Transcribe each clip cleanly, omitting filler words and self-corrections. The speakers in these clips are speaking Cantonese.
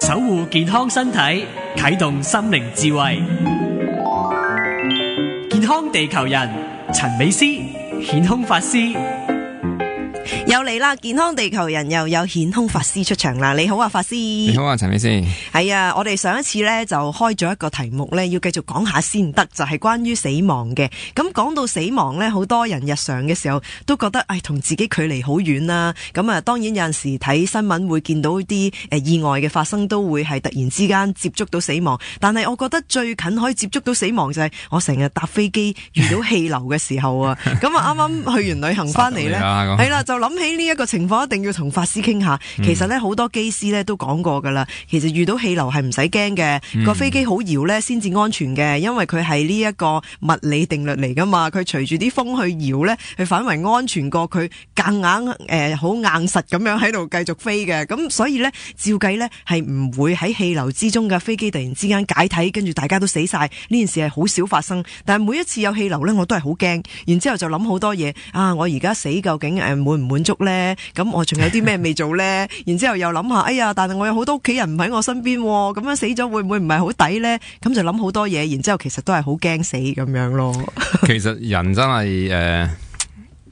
守護健康身體，啟動心靈智慧。健康地球人陳美詩顯空法師又嚟啦！健康地球人又有顯空法師出場啦！你好啊，法師。你好啊，陳美詩。係啊，我哋上一次呢就開咗一個題目呢，要繼續講下先得，就係關於死亡嘅。咁講到死亡呢，好多人日常嘅時候都覺得，同自己距離好遠啦。咁啊，當然有陣時睇新聞會見到啲意外嘅發生，都會係突然之間接觸到死亡。但係我覺得最近可以接觸到死亡就係我成日搭飛機遇到氣流嘅時候啊。咁啊，啱啱去完旅行翻嚟呢，係啦，就諗起呢一個情況，一定要同法師傾下。其實呢，好多機師呢都講過噶啦，其實遇到氣流係唔使驚嘅，個飛機好搖呢先至安全嘅，因為佢係呢一個物理定律嚟噶嘛，佢隨住啲風去搖呢，佢反為安全過佢夾硬好硬實咁樣喺度繼續飛嘅。咁所以呢，照計呢係唔會喺氣流之中嘅飛機突然之間解體，跟住大家都死晒，呢件事係好少發生。但係每一次有氣流呢，我都係好驚，然之後就諗好多嘢啊！我而家死究竟滿唔滿足呢？咁我仲有啲咩未做呢？然之後又諗下，哎呀，但係我有好多屋企人唔喺我身邊，咁樣死咗會唔會唔係好抵呢？咁就諗好多嘢，然之後其實都係好驚死咁樣咯。其實人真係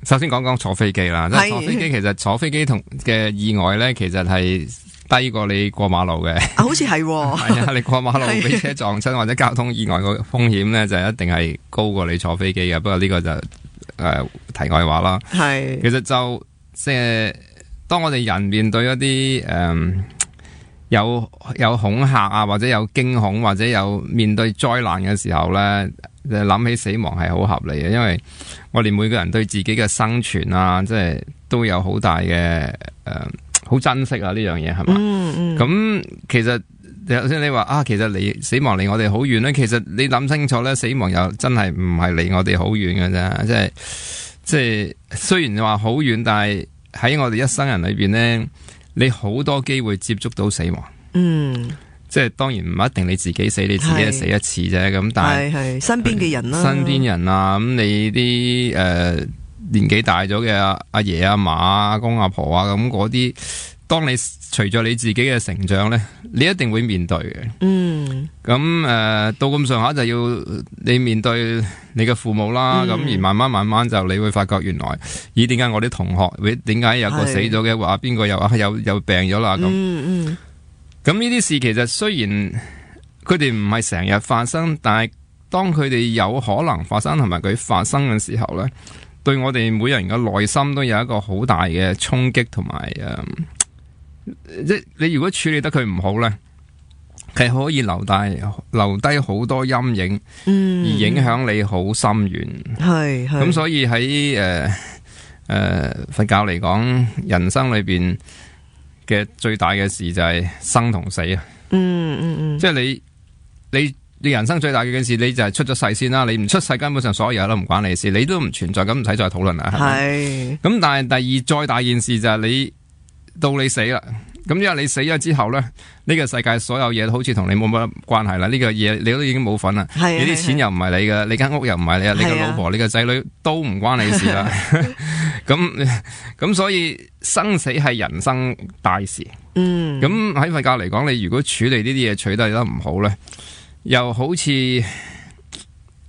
首先講講坐飛機啦，即係坐飛機，其實坐飛機同嘅意外呢，其實係低過你過馬路嘅。好似係，係啊，你過馬路俾車撞親或者交通意外個風險呢，就一定係高過你坐飛機嘅。不過呢個就題外話啦。係，其實就即係當我哋人面對一啲有恐嚇啊，或者有驚恐，或者有面對災難嘅時候呢，諗起死亡係好合理嘅，因為我哋每個人對自己嘅生存啊，即係都有好大嘅好珍惜啊呢樣嘢係嘛。咁其實頭先你話啊，其實死亡離我哋好遠呢，其實你諗清楚呢，死亡又真係唔係離我哋好遠嘅啫，即係雖然話好遠，但係喺我哋一生人裏邊呢，你好多機會接觸到死亡。即係當然唔一定你自己死，你自己死一次啫。咁但係身邊嘅人啦，身邊人啊，咁你啲年紀大咗嘅阿爺阿嫲阿公阿婆啊，咁嗰啲，當你隨着你自己嘅成長呢，你一定會面對嘅。咁到咁上下就要你面對你嘅父母啦。咁而慢慢就你會發覺原來，咦，點解我啲同學點解有個死咗嘅，話邊個又病咗啦咁。咁呢啲事其實雖然佢哋唔係成日發生，但係當佢哋有可能發生同埋佢發生嘅時候呢，對我哋每人嘅內心都有一個好大嘅衝擊同埋即你如果處理得佢唔好呢，係可以留低好多陰影，而影響你好深遠。咁所以喺佛教嚟講，人生裏邊嘅最大嘅事就係生同死啊。即係你人生最大嘅事，你就係出咗世先啦。你唔出世，根本上所有嘢都唔關你事，你都唔存在，咁唔使再討論啦。係。咁但係第二再大件事就係你到你死啦。咁因為你死咗之後咧，呢個世界所有嘢好似同你冇乜關係啦。呢個嘢你都已經冇份啦。你啲錢又唔係你嘅，你間屋又唔係你啊，你個老婆、你個仔女都唔關你事啦。咁所以生死係人生大事。咁喺佛教嚟講，你如果處理呢啲嘢處理得唔好咧，又好似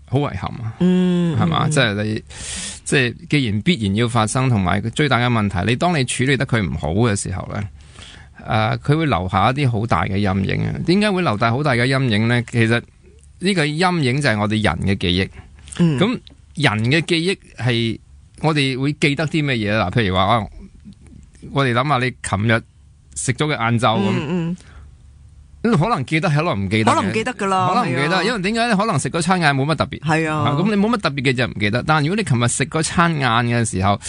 好遺憾啊。係嘛？即係既然必然要發生，同埋最大嘅問題，你當你處理得佢唔好嘅時候咧，佢會留下一啲好大嘅陰影啊！點解會留大好大嘅陰影呢？其實呢個陰影就係我哋人嘅記憶。咁人嘅記憶係我哋會記得啲咩嘢啦？譬如話我哋諗下你琴日食咗嘅晏晝咁。可能記得，可能唔記得，可能唔記得噶啦，可能唔記得，因為點解咧？可能食嗰餐晏冇乜特別，係啊，咁你冇乜特別嘅就唔記得。但係如果你琴日食嗰餐晏嘅時候，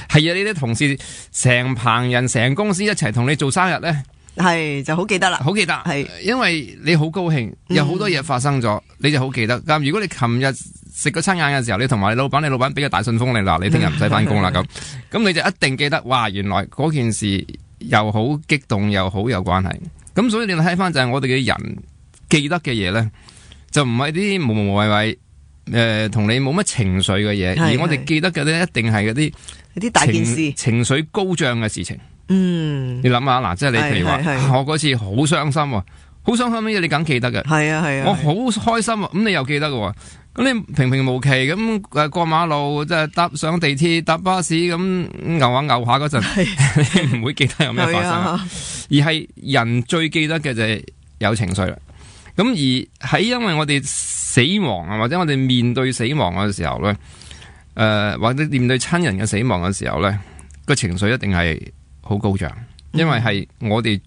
係啊，呢啲同事成棚人、成公司一齊同你做生日咧，係就好記得啦，好記得，係因為你好高興，有好多嘢發生咗，你就好記得。咁如果你琴日食嗰餐晏嘅時候，你同埋你老闆俾個大信封你嗱，你聽日唔使翻工啦咁你就一定記得，哇！原來嗰件事又好激動，又好有關係。咁所以你睇翻就係我哋嘅人記得嘅嘢咧，就唔係啲無無謂謂同你冇乜情緒嘅嘢，而我哋記得嘅咧一定係嗰啲大件事、情緒高漲嘅事情。嗯，你諗下嗱，即係你譬如話，我嗰次好傷心喎，好傷心嘅嘢你梗記得嘅。係啊係啊，我好開心啊，咁你又記得嘅。咁你平平無奇咁過馬路，即係搭上地鐵、搭巴士咁牛下嗰陣，你唔會記得有咩發生，而係人最記得嘅就係有情緒啦。咁而喺因為我哋死亡啊，或者我哋面對死亡嘅時候咧，或者面對親人嘅死亡嘅時候咧，個情緒一定係好高漲，因為係我哋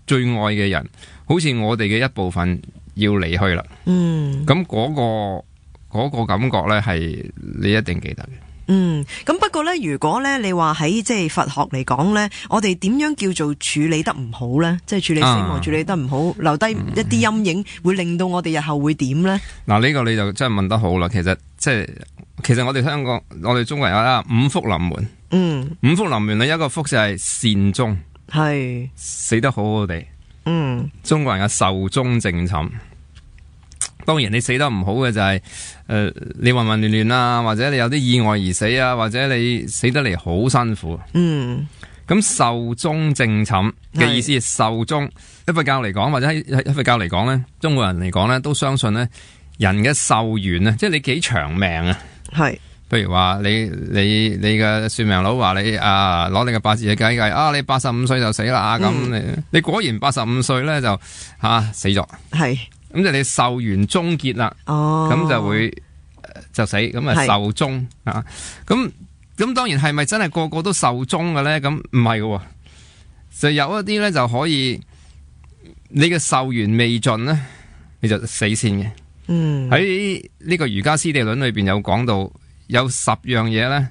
最愛嘅人，好似我哋嘅一部分要離去啦。咁嗰個感覺咧係你一定記得嘅。咁不過咧，如果咧你話喺即係佛學嚟講咧，我哋點樣叫做處理得唔好咧？即係處理死亡處理得唔好，留低一啲陰影，會令到我哋日後會點咧？嗱，呢個你就真係問得好啦。其實我哋香港，我哋中國人有五福臨門。五福臨門咧，一個福就係善終，係死得好好地。中國人嘅壽終正寢。當然你死得唔好嘅就係你混混亂亂啊，或者你有啲意外而死啊，或者你死得嚟好辛苦。咁壽終正寢嘅意思係壽終，喺佛教嚟講，或者喺佛教嚟講咧，中國人嚟講咧，都相信咧人嘅壽元啊，即係你幾長命啊。係，譬如話你嘅算命佬話你攞你嘅八字去計計你85歲就死啦，咁你果然85歲咧就死咗。係。咁就你壽元終結啦，咁就會就死，咁壽終啊。咁當然係咪真係個個都壽終嘅咧？咁唔係嘅，就有一啲咧就可以，你嘅壽元未盡咧，你就死先嘅。喺呢個瑜伽師地論裏邊有講到，有10樣嘢咧，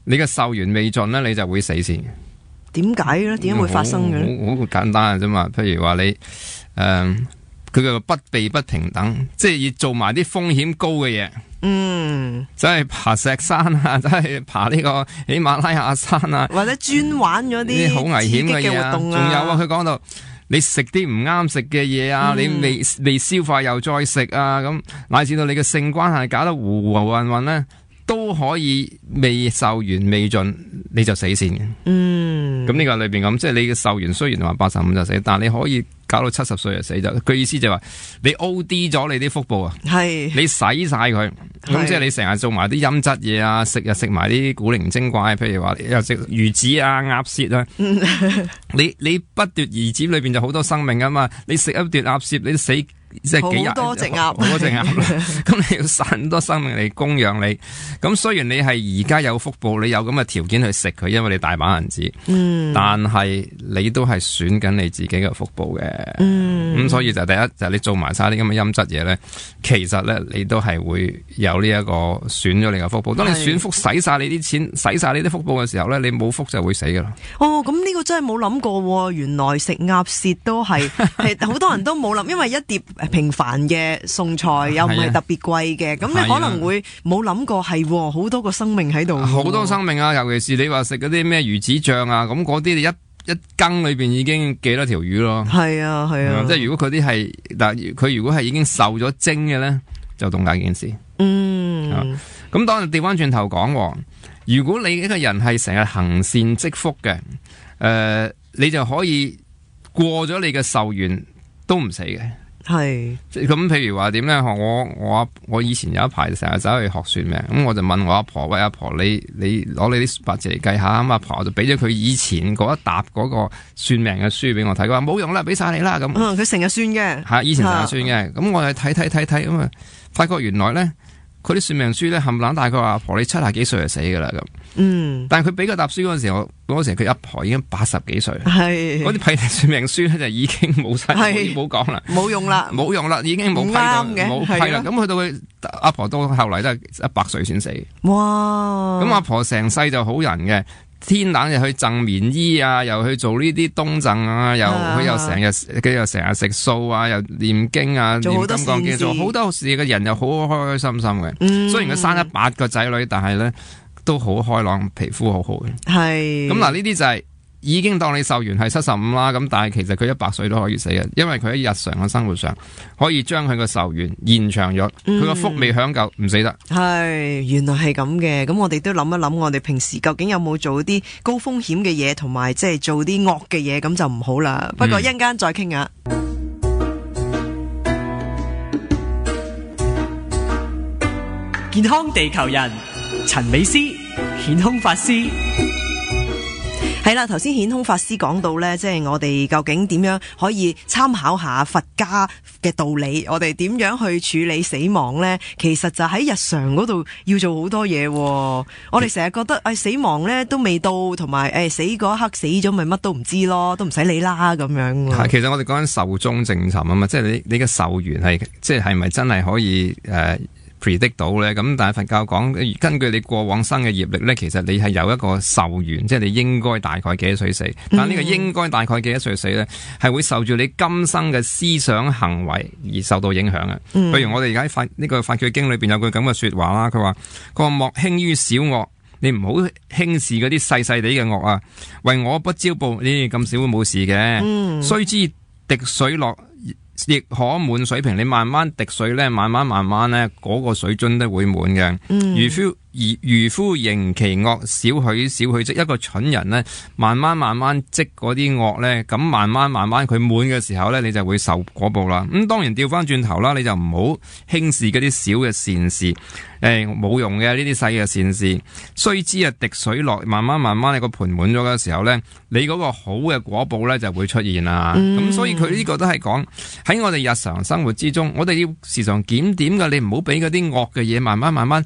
你嘅壽元未盡咧，你就會死先嘅。點解咧？點解會發生嘅咧？好簡單嘅啫嘛。譬如話你佢叫不避不平等，即係要做埋啲風險高嘅嘢。即係爬石山啊，即係爬呢個喜馬拉雅山啊，或者專玩咗啲好危險嘅嘢啊。仲有佢講到你食啲唔啱食嘅嘢啊，你未消化又再食啊，咁乃至到你嘅性關係搞得糊糊混混咧，都可以未壽元未盡你就死先嘅。咁呢個裏邊咁，即係你嘅壽元雖然話85就死，但係你可以搞到70歲就死咗。佢意思就係話你 OD 咗你啲福報啊，係你使晒佢，咁即係你成日做埋啲陰質嘢啊，食埋啲古靈精怪，譬如話又食魚子啊、鴨舌啊。你不奪而尖裏邊就好多生命啊嘛，你食一奪鴨舌你死。即係幾日好多隻鴨，好多隻鴨，咁你要殺咁多生命嚟供養你。咁雖然你係而家有福報，你有咁嘅條件去食佢，因為你大把銀紙。但係你都係損緊你自己嘅福報嘅。咁所以就第一就係你做埋晒啲咁嘅陰質嘢咧，其實咧你都係會有呢一個損咗你嘅福報。當你損福使晒你啲錢，使晒你啲福報嘅時候咧，你冇福就會死噶啦。咁呢個真係冇諗過，原來食鴨舌都係好多人都冇諗，因為一碟平凡嘅餸菜又唔係特別貴嘅，咁你可能會冇諗過係好多個生命喺度，好多生命啊！尤其是你話食嗰啲咩魚子醬啊，咁嗰啲你一羹裏邊已經幾多條魚咯。係啊，即係如果佢啲係嗱，佢如果係已經受咗精嘅咧，就咁大件事。咁當你調翻轉頭講，如果你一個人係成日行善積福嘅，你就可以過咗你嘅壽元都唔死嘅。係咁，譬如話點咧？我以前有一排成日走去學算命，咁我就問我阿婆：喂，阿婆，你攞你啲八字嚟計下。咁阿婆就俾咗佢以前嗰一沓嗰個算命嘅書俾我睇，佢話冇用啦，俾晒你啦咁。佢成日算嘅，係以前成日算嘅。咁我就睇咁啊，發覺原來咧，佢啲算命書咧冚唪唥大概話阿婆你70幾歲就死噶啦咁。但係佢俾個沓書嗰陣時，嗰時佢阿婆已經80幾歲，係嗰啲批算命書咧就已經冇晒，冇講啦，冇用啦，已經冇批到，冇批啦。咁去到佢阿婆到後嚟都係100歲先死。哇！咁阿婆成世就好人嘅，天冷就去贈棉衣啊，又去做呢啲冬贈啊，佢又成日食素啊，又念經啊，念金剛經，做好多事嘅人又好開開心心嘅。雖然佢生咗8個仔女，但係咧都好開朗，皮膚好好嘅。係咁嗱，呢啲就係已經當你壽元係75啦，咁但係其實佢100歲都可以死嘅，因為佢喺日常嘅生活上可以將佢個壽元延長咗，佢個福未享夠唔死得。係，原來係咁嘅。咁我哋都諗一諗，我哋平時究竟有冇做啲高風險嘅嘢，同埋即係做啲惡嘅嘢，咁就唔好啦。不過一陣間再傾下。健康地球人，陳美詩，顯空法師。係啦，頭先顯空法師講到呢，即係我哋究竟點樣可以參考下佛家嘅道理，我哋點樣去處理死亡呢？其實就喺日常嗰度要做好多嘢。我哋成日覺得死亡呢都未到，同埋死嗰一刻死咗咪乜都唔知咯，都唔使理啦咁樣。其實我哋講緊壽終正寢啊嘛，即係你嘅壽元係即係咪真係可以predict 到咧？咁但係佛教講，根據你過往生嘅業力咧，其實你係有一個壽元，即係你應該大概幾多歲死。但係呢個應該大概幾多歲死咧，係會受住你今生嘅思想行為而受到影響嘅。譬如我哋而家呢個法句經裏邊有句咁嘅說話啦，佢話莫輕於小惡，你唔好輕視嗰啲細細地嘅惡啊。為我不招報，呢咁少會冇事嘅。須知滴水落亦可滿水瓶，你慢慢滴水咧，慢慢咧，嗰個水樽都會滿嘅。漁夫盈其惡，少許積。一個蠢人咧，慢慢積嗰啲惡咧，咁慢慢佢滿嘅時候咧，你就會受果報啦。咁當然調翻轉頭啦，你就唔好輕視嗰啲小嘅善事，冇用嘅呢啲細嘅善事。須知滴水落，慢慢你個盆滿咗嘅時候咧，你嗰個好嘅果報咧就會出現啦。咁所以佢呢個都係講喺我哋日常生活之中，我哋要時常檢點嘅，你唔好俾嗰啲惡嘅嘢慢慢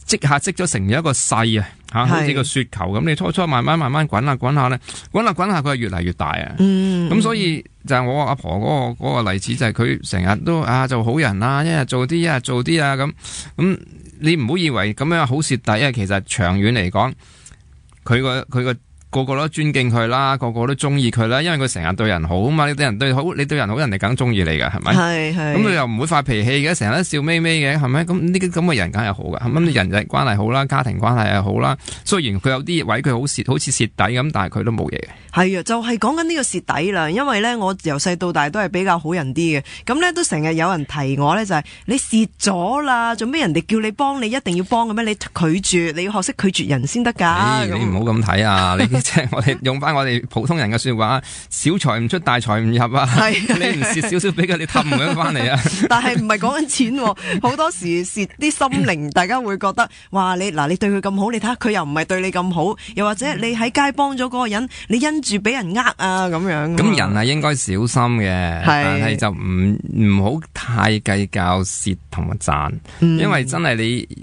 積咗成咗一個勢啊，好似個雪球咁。你初慢慢滾下咧，滾下佢係越嚟越大啊。咁所以就係我阿婆嗰個例子，就係佢成日都做好人啊，一日做啲啊咁。你唔好以為咁樣好蝕底啊，其實長遠嚟講，佢個個都尊敬佢啦，個個都中意佢啦，因為佢成日對人好啊嘛。你對人好，人哋梗中意你㗎，係咪？係。咁佢又唔會發脾氣嘅，成日都笑眯眯嘅，係咪？咁呢啲咁嘅人梗係好㗎，咁人際關係好啦，家庭關係係好啦。雖然佢有啲位佢好似蝕底咁，但係佢都冇嘢嘅。係啊，就係講緊呢個蝕底啦。因為咧，我由細到大都係比較好人啲嘅，咁咧都成日有人提我咧，就係你蝕咗啦，做咩人哋叫你幫你一定要幫嘅咩？你拒絕，你要學識拒絕人先得㗎。你唔好咁睇啊！即係我哋用翻我哋普通人嘅說話，小財唔出，大財唔入啊！你唔蝕少少俾佢，你氹唔到翻嚟啊！但係唔係講緊錢，好多時蝕啲心靈，大家會覺得，哇！你對佢咁好，你睇下佢又唔係對你咁好，又或者你喺街幫咗嗰個人，你因住俾人啊咁樣。咁人係應該小心嘅，但係就唔好太計較蝕同埋賺，因為真係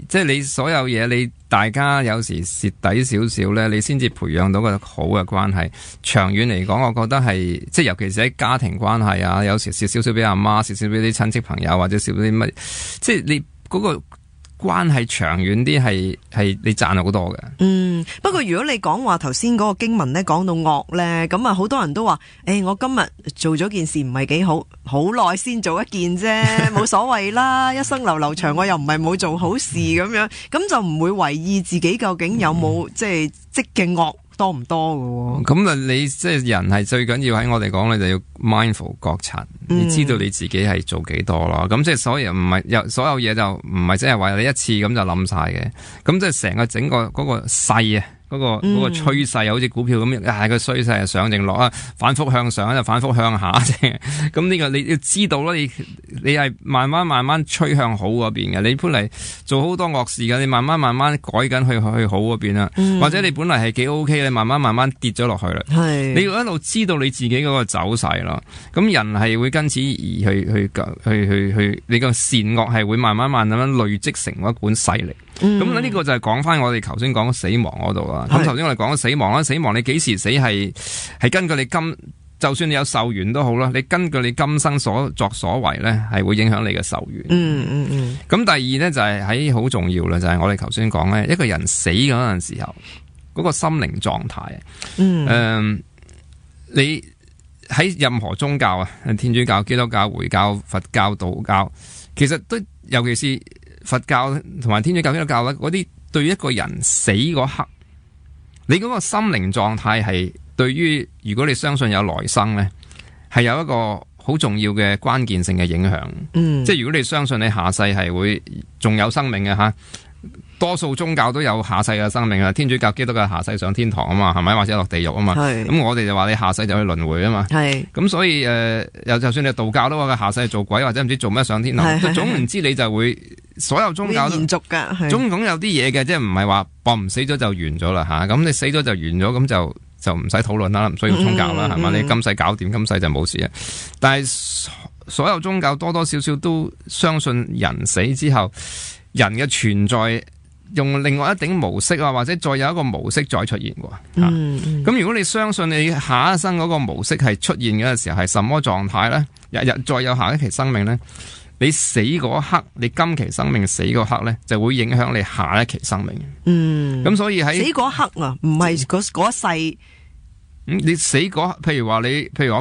即係你所有嘢你。大家有時蝕底少少咧，你先至培養到個好嘅關係。長遠嚟講，我覺得係即係尤其是喺家庭關係啊，有時蝕少少俾阿媽，蝕少俾啲親戚朋友，或者蝕啲乜，即係你嗰個關係長遠啲係你賺好多嘅。不過如果你講話頭先嗰個經文咧講到惡咧，咁啊好多人都話，我今日做咗件事唔係幾好，好耐先做一件啫，冇所謂啦，一生流長，我又唔係冇做好事咁樣，咁就唔會為意自己究竟有冇即係積嘅惡多唔多嘅。咁啊，你即係人係最緊要喺我哋講，你就要 mindful 覺察，你知道你自己係做幾多咯。咁即係所有唔係所有嘢就唔係即係話你一次咁就冧晒嘅。咁即係成個整個嗰個勢啊。嗰個趨勢好似股票咁，個趨勢係上定落啊，反覆向上就反覆向下啫。咁呢個你要知道咯，你係慢慢趨向好嗰邊嘅。你本嚟做好多惡事嘅，你慢慢改緊去好嗰邊啦。或者你本嚟係幾 OK，你慢慢跌咗落去啦。你要一路知道你自己嗰個走勢咯。咁人係會跟此而去，你個善惡係會慢慢咁樣累積成一股勢力。咁呢個就係講翻我哋頭先講死亡嗰度啦。咁頭先我哋講咗死亡啦，死亡你幾時死係根據你就算你有壽元都好啦，你根據你今生所作所為咧，係會影響你嘅壽元。咁第二咧就係喺好重要啦，就係我哋頭先講咧，一個人死嗰陣時候嗰個心靈狀態。你喺任何宗教啊，天主教、基督教、回教、佛教、道教，其實都尤其是佛教同埋天主教、基督教咧，嗰啲對於一個人死嗰刻，你嗰個心靈狀態係對於如果你相信有來生咧，係有一個好重要嘅關鍵性嘅影響。即係如果你相信你下世係會仲有生命嘅吓。多數宗教都有下世嘅生命啊，天主教、基督教下世上天堂啊嘛，係咪？或者落地獄啊嘛。咁我哋就話你下世就去輪迴啊嘛。咁所以又就算你道教都話佢下世做鬼或者唔知做咩上天堂，總唔知你就會所有宗教都延續㗎。總有啲嘢嘅，即係唔係話唔死咗就完咗啦吓。咁你死咗就完咗，咁就唔使討論啦，唔需要宗教啦，係嘛？你今世搞掂，今世就冇事啊。但係所有宗教多多少少都相信人死之後，人嘅存在。用另外一頂模式啊，或者再有一個模式再出現喎。咁如果你相信你下一生嗰個模式係出現嘅時候係什麼狀態呢？日日再有下一期生命呢？你死嗰刻，你今期生命死嗰刻呢，就會影響你下一期生命。咁所以喺死嗰刻啊，唔係嗰一世。你死嗰，譬如我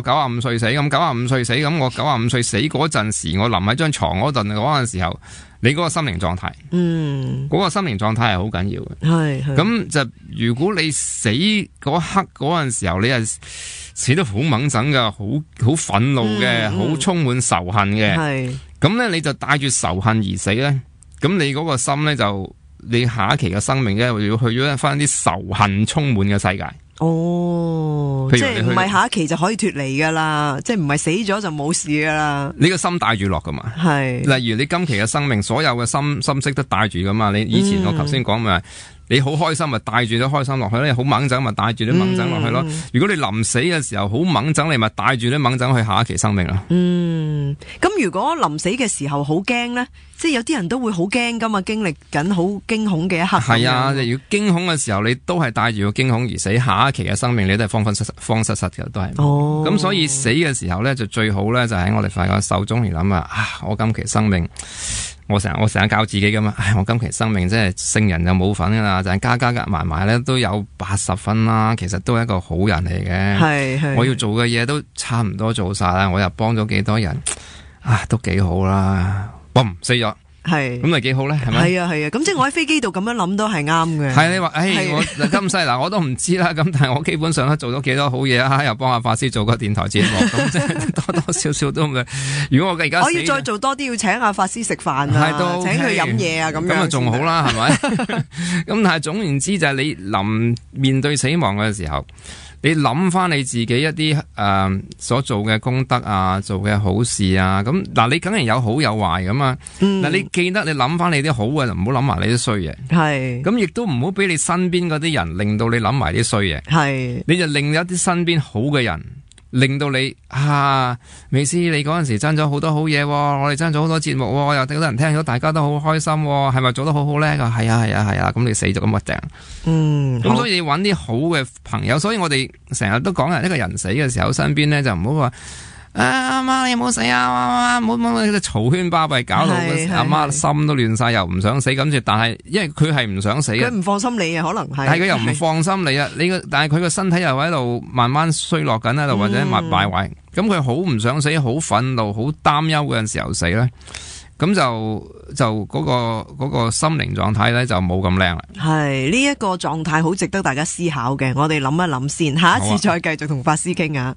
95歲死，咁95歲死，咁我95歲死嗰陣時，我臨喺張床嗰陣時候，你嗰個心靈狀態，嗰個心靈狀態係好緊要嘅。咁就如果你死嗰刻嗰陣時候，你係死得好猛整噶，好憤怒嘅，好充滿仇恨嘅，咁咧你就帶住仇恨而死咧，咁你嗰個心咧就你下一期嘅生命咧，要去咗翻啲仇恨充滿嘅世界。即係唔係下一期就可以脫離噶啦，即係唔係死咗就冇事噶啦。你個心帶住落噶嘛？例如你今期嘅生命，所有嘅心識都帶住噶嘛。你以前我頭先講咪，你好開心咪帶住啲開心落去咯，你好猛整咪帶住啲猛整落去咯。如果你臨死嘅時候好猛整，你咪帶住啲猛整去下一期生命咯。咁如果臨死嘅時候好驚咧，即係有啲人都會好驚噶嘛，經歷緊好驚恐嘅一刻。係啊，如果驚恐嘅時候，你都係帶住個驚恐而死，下一期嘅生命你都係慌失失嘅，都係。咁所以死嘅時候咧，就最好咧，就喺我哋發覺手中而諗啊，我今期生命。我成日教自己噶嘛，我今期生命即係聖人就冇份噶啦，就係加埋埋咧都有80分啦，其實都係一個好人嚟嘅。我要做嘅嘢都差唔多做晒啦，我又幫咗幾多人，都幾好啦。死咗。咁咪幾好咧？係咪？係啊，咁即係我喺飛機度咁樣諗都係啱嘅。係你話，我今世嗱我都唔知啦。咁但係我基本上都做咗幾多好嘢啊！又幫阿法師做個電台節目，咁即係多多少少都唔。如果我而家我要再做多啲，要請阿法師食飯啊，請佢飲嘢啊，咁樣就仲好啦，係咪？咁但係總言之就係你臨面對死亡嘅時候。你諗翻你自己一啲所做嘅功德啊，做嘅好事啊，咁嗱你梗係有好有壞噶嘛。嗱你記得你諗翻你啲好嘅，就唔好諗埋你啲衰嘢。咁亦都唔好俾你身邊嗰啲人令到你諗埋啲衰嘢。你就令一啲身邊好嘅人。令到你美斯你嗰陣時爭咗好多好嘢，我哋爭咗好多節目，又有好多人聽咗，大家都好開心，係咪做得好好咧？係啊，咁你死咗咁咪正。咁所以揾啲好嘅朋友，所以我哋成日都講一個人死嘅時候，身邊咧就唔好話阿媽你唔好死啊，唔好嘈喧巴閉，搞到阿媽心都亂晒，又唔想死咁住。但係因為佢係唔想死，佢唔放心你啊，可能係。但係佢又唔放心你啊，但係佢個身體又喺度慢慢衰落緊喺度，或者敗壞。咁佢好唔想死，好憤怒，好擔憂嗰陣時候死咧，咁就嗰個心靈狀態咧就冇咁靚啦。係呢一個狀態好值得大家思考嘅，我哋諗一諗先，下一次再繼續同法師傾啊。